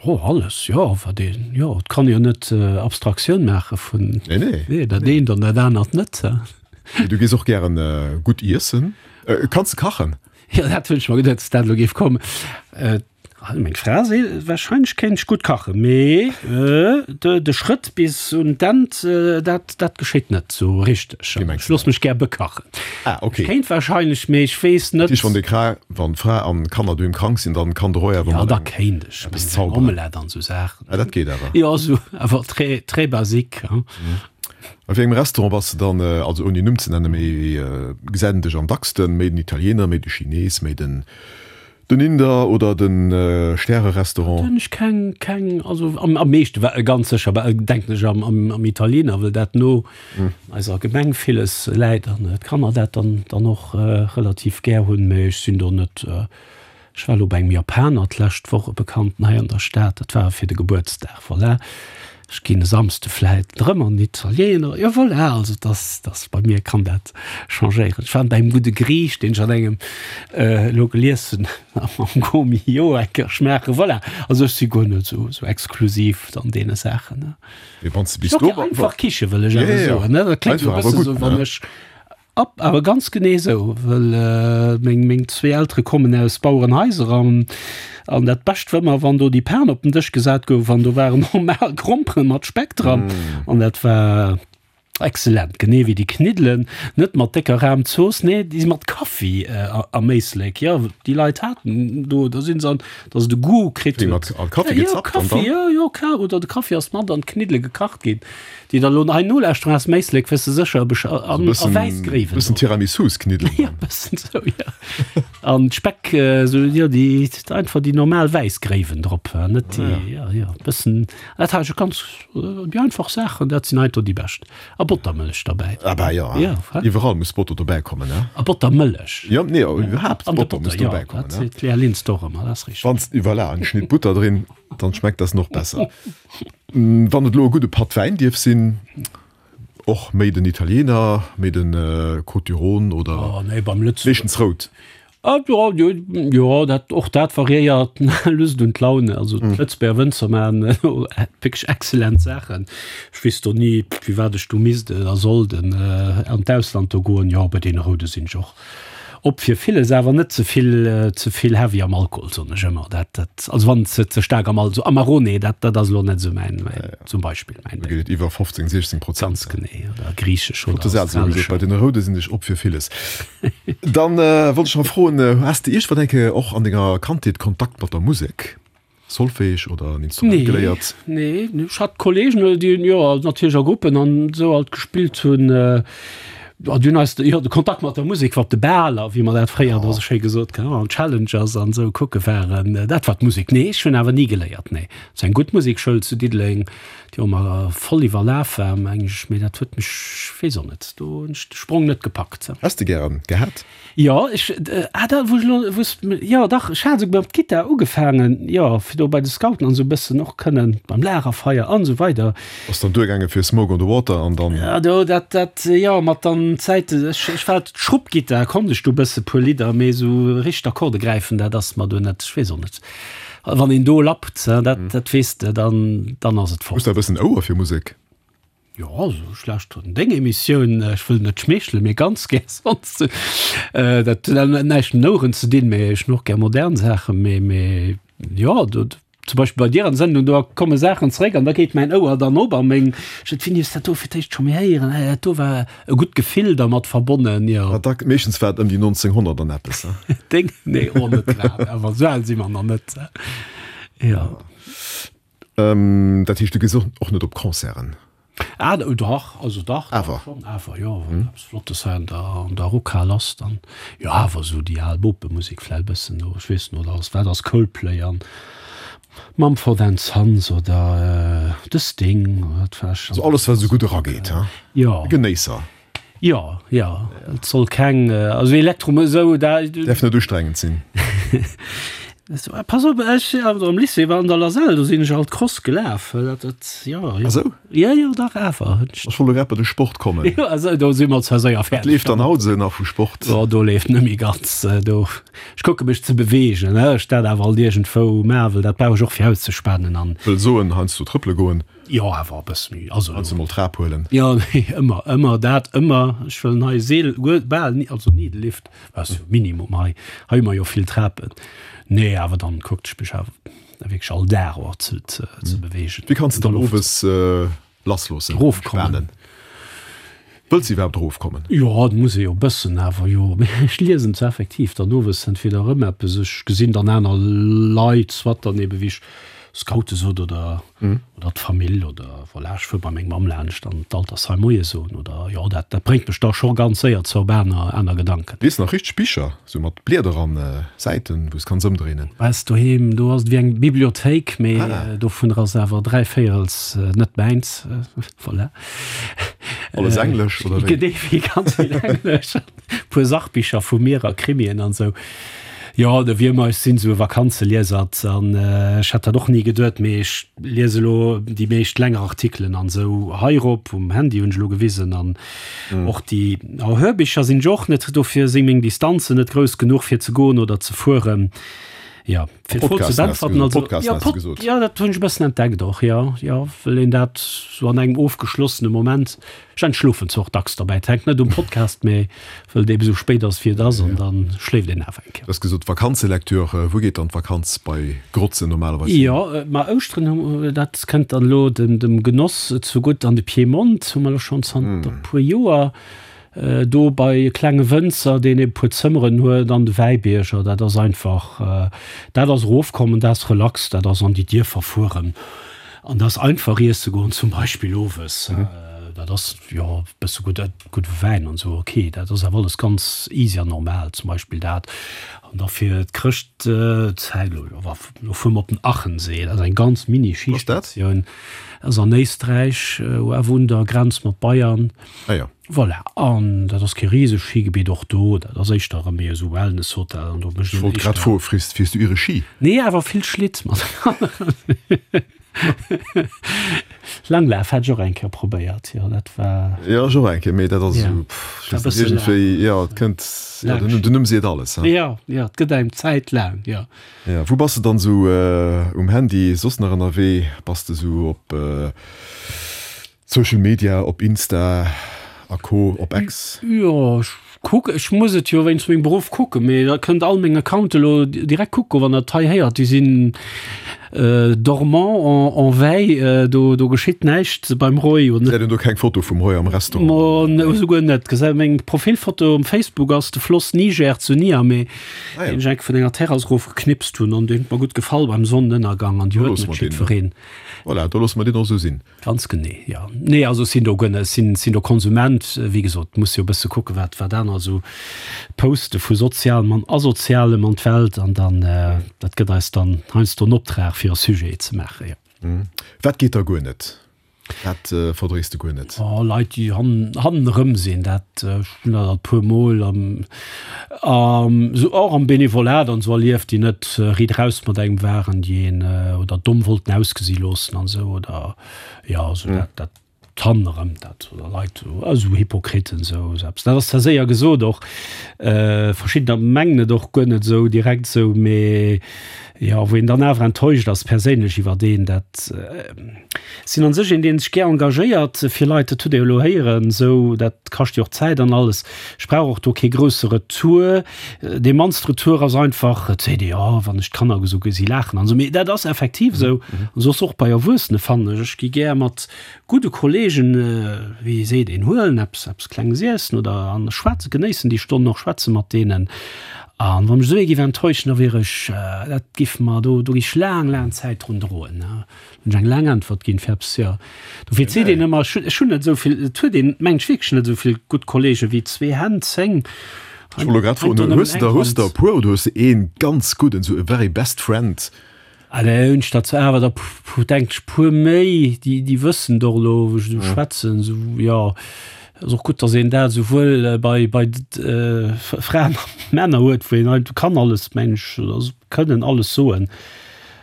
Jo, alles, jo. Wat een, jo, et kann jo net Abstraktioun maache vun.
Nee, nee.
Nee, dat eent an dat anert net.
Mee du gees och gären gutt iessen. Kanns de kachen?
Jo, dat hunn ech mer geduet, dass dat elo géif kommen. Meng Fra seet, wahrscheinlech kéint ech gutt kachen, mee de Schrëtt bis un d'End, dat, dat geschéit net sou richteg.
Wéi mengs
Ech
du
loosse
dat?
mech gär bekachen.
Ah, ok.
Ech kéint wahrscheinlech, mee ech weess net.
Dat heescht, wann déi Fra, wann d'Fra an d'Kanner doheem krank sinn, dann kann de Roy awer
Jo,
mat
da
engem
kéint ech
eppes
eng
zauberen.
Omelette an sou Saachen.
Ah, dat geet awer.
Jo, sou, awer très, très basique, hein.
A wéi engem Restaurant bass de dann, also ouni Numm ze nennen, mee gesäit een dech am dacksten? Méi den Italiener, méi de Chines, méi den. Den Inder oder den Stärerestaurant?
Do hunn ech keng, keng, also am, am meeschte wa ganz sécher ba denken ech am, am, am Italiener, well dat no eiser Gemeng villes läit an d'Kanner dat dann, dann och relativ gär hunn. Mee ech sinn do net, ech war elo bei engem Japaner d'lescht Woch, e Bekannten hei an der Stad, dat war fir de Gebuertsdag, voilà. Ech ginn e Samsde vläit erëm an den Italiener. Jo voilà, also dass, dass bei mir kann dat changéieren. Ech war bei engem gudde Griich, deen ech an engem elo gelies hunn, am Gault-Millau eng Kéier schmaachen. Voilà, also ech si guer net esou, esou exklusiv an deene Saachen, ne.
Mee wann s de bis do.
Einfach Kiche wëll ech awer soen, ne. Dat kléngt elo e bësse esou, wann ech. Ab, awer ganz genee esou, well meng meng zwee Eltere kommen aus Bauerenhaiser an an dat Bescht war ëmmer, wann do déi Pan op den Dësch gesat gouf an do waren normal Gromperen mat Speck dran an dat war exzellent, genee wéi déi Kniddelen, net mat décker Rahmzooss, nee, déi si mat Kaffi am Éislek, jo, déi Leit haten do, da sinn se an, datt se de Goût kritt
Wéi mat Kaffi gezappt an dann?
Jo, Kaffi, jo, jo, ka oder de Kaffi ass mat an d'Kniddele gekacht ginn. Déi der lo hei nolauschteren aus dem Éislek, wësse sécher e besch an a wäiss Gréiwen.
Bëssen Tiramisus-Kniddelen.
Jo, bëssen sou, jo. An Speck, sou, jo, déi einfach déi normal wäiss Gréiwen drop, net déi, jo, jo, bëssen. Dat hat ech ganz, déi einfach Saachen, dat sinn heiansdo déi bescht. A Bottermëllech derbäi.
Ah bah, jo,
jo,
iwwerall muss Botter dobäi kommen, ne?
A Bottermëllech.
Jo, nee, iwwerhaapt Botter muss dobäi kommen,
ne? Dat seet d'Léa Linster och ëmmer, dat ass richteg.
Wann s, voilà, eng Schnitt Butter drin, dann schmeckt das noch besser. Wann et elo e gudde Patt Wäin dierf sinn, och méi den Italiener, méi den Côtes du Rhône oder meeschtens rout?
Jo, dat, och dat variéiert Lust und Laune. Also d'Lëtzebuerger Wënzer maachen wierklech exzellent Saachen. Ech weess do ni, firwat ech do misst a sollt an d'Ausland do goen. Jo, bei deene Roude sinn ech och Op fir villes, awer net ze vill, ze vill heavy am Alkohol, soen ech ëmmer. Dat, dat, also wann ze, ze staark am Al, so Amarone, dat, dat ass elo net esou mäin, mäin, zum Beispill mäin
Da geet et iwwer 15, 16 Prozent.
Ganz genee, oder griichesch
oder Flotte Saz elo gesot, bei deene Roude sinn ech op fir villes. Dann wollt ech nach froen, Has de iergendwann eng Kéier och an denger Kandheet Kontakt mat der Musek? Solfège oder en Instrument geléiert?
Nee, nee, ech hat Kollegen, déi, jo, natierlech a Gruppen an esou alt gespillt hunn. Dunn eis jo de Kontakt mat der Musek war op de Baler, wéi mer dat fréier da sou schéi gesot hunn, an Challengers an esou kucke waren. Dat war d'Musek. Nee, ech hunn awer ni geléiert, nee. Et ass eng gutt Musekschoul zu Diddeleng, déi och ëmmer voll iwwerlaf war, meng ech, mee dat huet mech, weess och net, do hunn ech de Sprong net gepackt.
Häss de gären gehat?
Jo, ech, ah da wou ech elo, wou s, jo dach, ech hat esouguer mat Gittar ugefaangen, jo, fir do bei de Scouten an esou e bëssen och kënnen beim Lagerfeier an esou weider.
Ass dann duergaange fir Smoke on the Water an dann.
Ja, do, dat, dat, jo, mat dann Zäite, ech, ech war d'Schrubbgittar, konnt ech do e bësse puer Lidder, mee esou richteg Akkorde gräifen, dat ass mer do net, ech weess och net, wann een do lappt, dat, dat weess de, dann, dann ass et
fort. Hues de e bëssen Ouer fir Musek?
Jo, esou schlecht huet deng Emissioun, ech wëll net schmeechelen, mee ganz gär sonst. Dat huet näischt mat Oueren ze dinn, mee ech hunn och gär modern Saachen, mee, mee jo, do zum Beispill bei dir an der Sendung, do komme Saachen zeréck an da geet mäin Ouer dann op a meng, ech sot, wéini hues dat do fir d'éischt scho méi héieren, ah dat do war e gutt Gefill dermat verbonnen, jo.
Ma da, meeschtens war et ëm déi 1900 an eppes,
he? Deng? Nee, och net grad, awer esou al si mer nach net, jo.
Dat heescht, du gees och net op Concerten?
Ah, dach, also dach,
awer
schonn, awer jo, wann eppes Flottes hei an der, an der Rockhal ass, dann jo, awer esou déi al Bopemusek vläicht e bëssen do, ech weess net, oder ass, wat ass Coldplay an Mumford and Sons oder The Sting,
wat war ech. Also alles, wat esou gutt erageet, he?
Jo.
E Genéisser.
Jo, jo, et soll keng, also Elektro esou
da. Däerf net ustrengend sinn.
Pass op, ech am Lycée war an der Lasell, do sinn ech alt Cross gelaf, dat, dat, jo, jo.
Ah sou?
Jo, jo, dach awer.
Ech wollt elo grad bei de Sport kommen.
Jo, also do si mer zwar séier
fäerdeg. Wat leeft dann haut esou nach vu Sport?
Jo, do leeft net méi ganz, do, ech kucke mech ze beweegen, ech dat awer alt iergendwou maachen, well dat brauch ech och fir auszespanen an.
Wëll soen, heiansdo trëppele goen.
Jo, awer e bësse méi. Also,
Heiansdo mol d'Trap huelen.
Jo, nee, ëmmer, ëmmer dat, ëmmer. Ech wëllen hei seel, guer, bal ni, also ni de Lift, ass jo Minimum hei. Hei hu mer jo vill Trapen. Nee, awer dann kuckt ech mech awer wierklech all Dag och ze, ze, ze beweegen.
Wéi kanns de dann owes lassloossen,
Erofkommen.
Wëlls de iwwerhaapt erofkommen?
Jo, et muss ee jo e bëssen awer, jo. Mee ech liesen zwar effektiv dann owes entweder erëm eppes, ech gesinn dann aner Leit, soit dann ebe wéi ech Scoute sot oder oder d'Famill oder voilà, ech fuer bei meng Mamm laanscht an d'Altersheim Moie soen oder jo, dat dat bréngt mech da scho ganz séier zou op aner aner Gedanken.
Lies nach richteg Bicher, sou mat Blieder an Säiten, wou s kanns ëmdréinen?
Bei eis doheem, do ass et wéi eng Bibliothéik, mee dovunner ass awer dräivéierels net mäins, voilà.
Alles Englesch oder wéi?
Genee, wéi ganz vill Englesch. Puer Sachbicher vu mir a Krimien an sou. Jo, de Wiermer, ech sinn sou e Vakanzeliesert an ech hätt dat och ni geduet, mee ech liese lo déi meescht länger Artikelen an sou heirop um Handy, hunn ech lo gewisen an och déi Hörbicher sinn ech och net, dofir si meng Distanzen net grouss genuch fir ze goen oder ze fueren. Jo, fir d'Fro ze beäntwerten, also
Podcasten
jo, Pod, jo, dat hunn ech e bëssen entdeckt och, jo, jo, well een dat sou an engem ofgeschlossene Moment, ech entschlofen zwar och dacks derbäi, et hänkt net um Podcast, mee well et ebe sou spéit ass wéi et ass an da schléift een awer eng
Kéier. Du hues gesot Vakanzelektür, wou geet dann d'Vakanz bei Grotzen normalerweis hin?
Jo, ma Ouschteren hu, dat kënnt dann elo dem, dem Genoss zegutt, an de Piemont hu mer elo schonn zanter e puer Joer. Do bei e klenge Wënzer, deen e puer Zëmmeren huet an de Wäibierger, dat ass einfach, dat ass erofkommen, dat ass relax, dat ass an déi Dierfer fueren an dat ass einfach iesse goen zum Beispill owes. Dat ass, jo, e bësse gudde, gudde Wäin an esou, ok, dat ass awer alles ganz easy an normal zum Beispill dat. An da fir d'Chrëschtzäit, elo, jo, elo fuere mer op den Achensee, dat ass eng ganz Mini-Schistatioun, ass an Éisträich, awer un der Grenz mat Bayern.
Ah jo.
Voilà, an dat ass kee risegt Schigebitt och do, dat ass éischter erëm méi esou Wellnesshotel an do
mécht een éischter. Ech wollt grad froen, Fiers, fiers du iere Schi?
Nee, awer vill Schlitt mat aneren. Langlaf hat ech och eng Kéier probéiert, jo, dat war.
Jo, ech och eng Kéier, mee dat ass esou, pff, ech weess net, iergendwéi, jo, et kënnt, jo, den Numm seet alles,
he. Jo, jo, et gëtt engem d'Zäit laang, jo.
Jo, wou bass de dann esou um Handy soss nach ënnerwee? Bass de esou op. Social Media, op Insta a Co, op X?
Jo, ech kucken, ech muss et jo wéinst mengem Beruff kucken, mee da kënnt all meng Accounte lo direkt kucken, wann der et hei héiert, déi sinn. Dormant en en veille, do do geschitt näischt beim Roy.
Gesäit een do keng Foto vum Roy am Restaurant?
Mo esouguer net. Gesäit meng Profilfoto um Facebook ass de Floss Niger zu Niamey, deen ech enk vun enger Terrass erof geknipst hunn an deen huet mer gutt gefall beim Sonnenënnergang an déi huet net jiddwereen.
Voilà, do loosse mer deen och esou sinn.
Ganz genee, jo. Nee, also ech sinn do guer net, ech sinn, sinn do Konsument. Wéi gesot, muss jo e bësse kucken, wat, wat aner esou poste vu Sozialem an Asozialem an d'Welt. An dann, dat gëtt eis dann heiansdo en Optrag, fir e Sujet ze maachen, jo.
Wat geet da guer net? Wat verdréis de guer net?
Oh, Leit, déi hannen, hannenerëm sinn, dat, ech hunn dat alt puer Mol am, am, esou och am Benevolat an esou erlieft, déi net riit eraus mat engem waren, déi een oder domm wollten ausgesi loossen an esou oder jo, esou dat, dat hannenerëm dat oder Leit, esou Hypokriten esou eppes. Dat ass zwar séier gesot och, verschiddener mengen et och guer net esou direkt esou, mee jo, wou een dann awer enttäuscht ass perséinlech iwwert een, dat sinn an sech een, dee sech gär engagéiert fir Leit, dat hutt Dir jo elo héieren, esou, dat kascht jo och Zäit an alles. Ech brauch och do kee grousse Retour. Dee mannst Retour ass einfach, et seet ee, jo, wann ech d'Kanner esou gesi laachen an esou. Mee dat ass effektiv esou an soss och bei Erwuessene fannen ech. Ech gi gär mat gudde Kollegen, wéi seet een, huelen eppes, eppes Klenges iessen oder an schwätzen, genéissen déi Stonnen och, schwätze mat deenen. An wa mech esou ee giff enttäuschen, da wier ech, dat giff mer, do, do giff ech laang, laang Zäit drun droen. Hunn ech eng laang Äntwert ginn, Ferbs, jo. Dofir seet een ëmmer, ech hunn, ech hunn net esou vill, et huet een, mengt ech, wierklech net esou vill gutt Kollegen wéi zwee Hänn, 10.
Ech wollt elo grad froen, hues de der, hues de der e puer oder hues de ee ganz gudden, esou e very best friend?
Allez, hunn ech der zwar awer der, denk ech, puer méi, déi, déi wëssen et och elo, wou ech esou schwätzen, esou, jo. Ass och gutt, datt een dat esouwuel bei, bei Fraen a Männer huet, wou een einfach kann alles, mengen ech, also kënnen alles soen.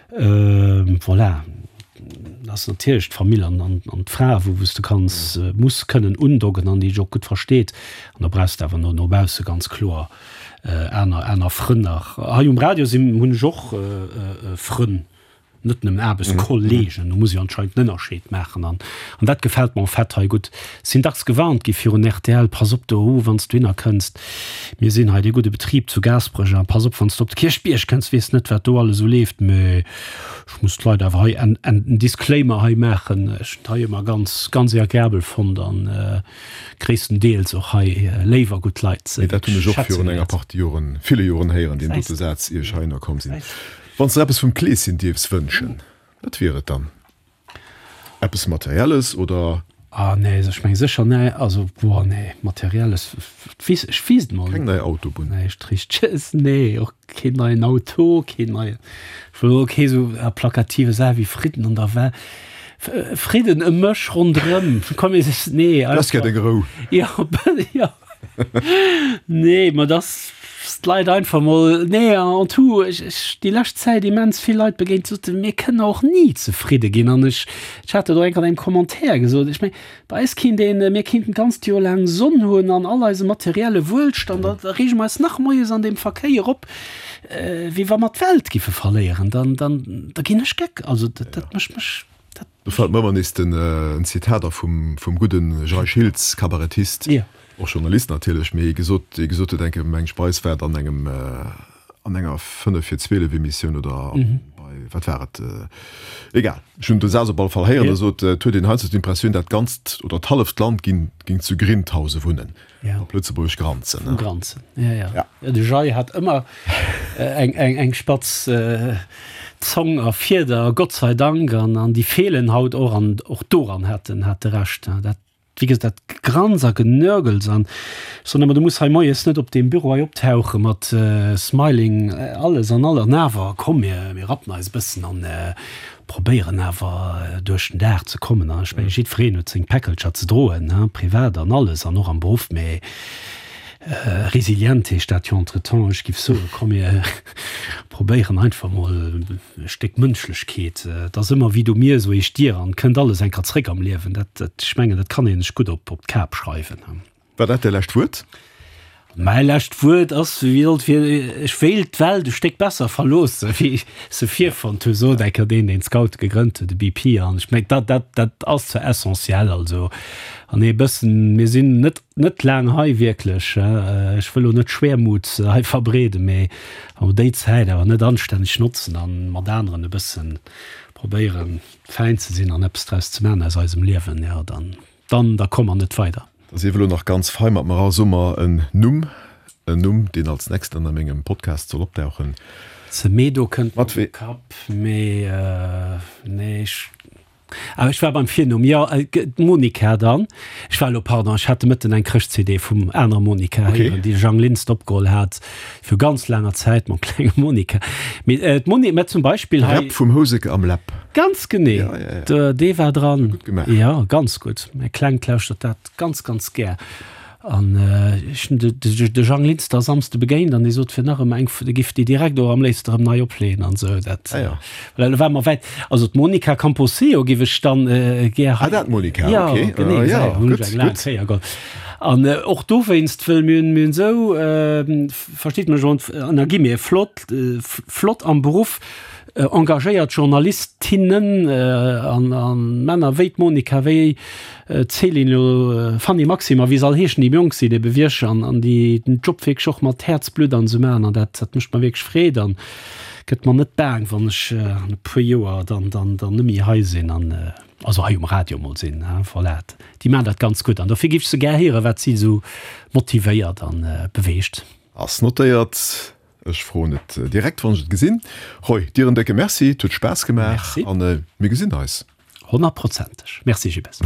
Voilà, dat ass natierlech d'Famill an, an, an d'Fra, wou, wou s de kanns, muss kënnen undocken an déi dech och gutt versteet. An da brauchs de awer no, no bausse ganz kloer aner, aner Frënn nach. Hei um Radio sinn, hunn ech och Frënn, net nëmmen Aarbechtskolleegen. Do muss ee jo anscheinend en Ënnerscheed maachen. An, an dat gefält mer en fait hei gutt. Sinn dacks gewarnt gi virun rtl, Pass op do, wann s du hinner kënns. Mir sinn hei dee gudde Betrib zu Gaasperech a pass op, wann s de op de Kierchbierg kënns, weess net, wat do alles esou leeft. Mee ech muss d'Leit awer hei en, en Disclaimer hei maachen, Ech hunn et hei ëmmer ganz, ganz agreabel fonnt a gréisstendeels och hei léif a gutt Leit.
Mee dat hunn ech och virun enger Partie Joren, ville Joren héieren, deen dote Saz, ier ech heihinner komm sinn. Wann s de der eppes vum Kleeschen dierfs wënschen, wat wier et dann? Eppes Materielles oder?
Ah nee, ech meng sécher nee, also boah nee, Materielles, weess, ech weess et mol
net. Keng nei Autobunn?
Näischt Richteges, nee, och keen neien Auto, keen neien, ech wëll och kee sou plakative Saach wéi Fridden an der Wel, Fridden ëm mech ronderëm, komm mir, nee,
Du häss gär deng Rou.
Jo, jo. Nee, ma dass d'Leit einfach mol, nee, en tout, ech, ech, déi lescht Zäit immens vill Leit begéint, déi soten, mir kënnen och ni zefridde ginn. An ech, ech hat dat och enk an engem Commentaire gesot, ech mengen, bei eis kinnt een, mir kinnten d'ganzt Joer laang Sonn hunn an all eise materielle Wuelstand, da, da reege mer eis nach moies an deem Verkéier op, wéi wa mer d'Welt giffe verléieren. Dann, dann, da ginn ech geck. Also dat, dat mécht mech.
Do fält mer ëmmer nees den en Zitat a vum vum gudden Jay Schiltz, Kabarettist, och Journalist natierlech, mee gesot, dee gesot huet eng Kéier, meng Speis war et an engem an enger 5 vir 12 Emissioun oder bei, wat war et, egal, ech hunn de Saz op alle Fall héieren, e sot, et huet een heiansdo d'Impressioun, dat ganzt oder d'halleft Land ginn géing zu Grindhause wunnen.
Ja.
Op Lëtzebuergesch Granzen.
Ne? Granzen, ja, ja. ja. ja de Jay hat ëmmer äh, eng, eng, eng spatz äh, Zong a Fieder, Gott sei Dank, an, an déi feelen haut och an och doran hat en hat de Recht. Ne? Dat, wéi gesot, dat Granz a Genörgels an sondern du muss hei moies net op dem Büro hei optauche mat äh, Smiling äh, alles an all an awer komm mir, mir rappen eis bëssen an äh, Probéieren awer duerch den Dag ze kommen. An ech mengen, jiddwereen huet seng Päckelcher ze droen, privat an alles an och am Beruff. Mee resilient heescht dat jo entretemps. Ech géif soen, komm mir probéieren einfach mol e Stéck Mënschlechkeet. Et ass ëmmer wéi du mir, esou heescht dir, an et kënnt alles eng Kéier zréck am Liewen. Dat, ech mengen, dat kann ee sech gutt op d'Kap schreiwen.
War dat däi lescht Wuert?
Mäi lescht Wuert ass, wéi sollt fir, ech wéilt d'Welt e Stéck besser verloossen, wéi ech se virfonnt hu, sot eng Kéier deen, deen d'Scoute gegrënnt huet, de BP. An ech mengen, dat, dat, dat ass zwar essentiell, also, an ee bëssen, mir sinn net, net laang hei wierklech, ech wëll elo net Schwermut hei verbreeden, mee wa mer déi Zäit awer net anstänneg notzen a mat aneren e bëssen probéieren, fäin ze sinn an eppes draus ze maachen aus eisem Liewen, jo, dann. Dann, da komme mer net weider.
Da sief elo nach ganz fei mat mer a so mer en Numm, en Numm, deen als nächsten a mengem Podcast soll opdauchen.
Semedo kënnt mer op de Kapp, mee nee, ech, ah, ech war beim Virnumm, jo, d'Monica dann. Ech war elo, pardon, ech hat de Mëtten eng Chrëscht-CD vum anerer Monica héieren, déi de Jang Linster opgeholl hat. Viru ganz laanger Zäit mam klenge Monica. Mee d'Moni, mä zum Beispill hei.
Rap vum Houseker am Läpp.
Ganz genee,
Ja, ja, ja.
dee war dran.
Gutt gemaach.
Jo, ganz gutt. Mäi Klengt lauschtert dat ganz, ganz gär. An ech hunn de, de, de Jang Linster Samsde begéint an dee sot fir nach ëmmer eng, dee giff déi direkt och am léifste erëm nei opleeën an esou. Dat,
Ah ja.
well elo ware mer wäit. Also d'Monica Camposeo giff ech dann gär hei.
Ah, dat Monica,
Ja,
okay.
genee,
Ah, ja,
ja, hunn ech
gutt,
eng laang
gutt.
Kéier geholl. An och dowéinst, wëll mir hunn, mir hunn esou, versteet mech, an da gi mir flott, flott am Beruff engagéiert Journalistinnen an a Männer wéi d'Monica, wéi d'Céline elo, Fanny, Maxime a wéi se all heeschen, déi jonk sinn ebe wierklech an an déi den Job wierklech och mat Häerzblutt an esou maachen an dat, dat mécht mer wierklech Freed an gëtt mer net baang, wann ech an e puer Joer dann, dann, dann net méi hei sinn an. Also hei um Radio mol sinn, hein, voilà. Déi maachen dat ganz gutt an dofir géif ech se gär héieren, wat si esou motivéiert an beweegt.
Ass notéiert. Ech froen et direkt wann ech et gesinn. Roy, dir en décke Merci, et huet Spaass gemaach
Merci.
an mir gesinn eis.
Honnertprozenteg. Merci Gilles.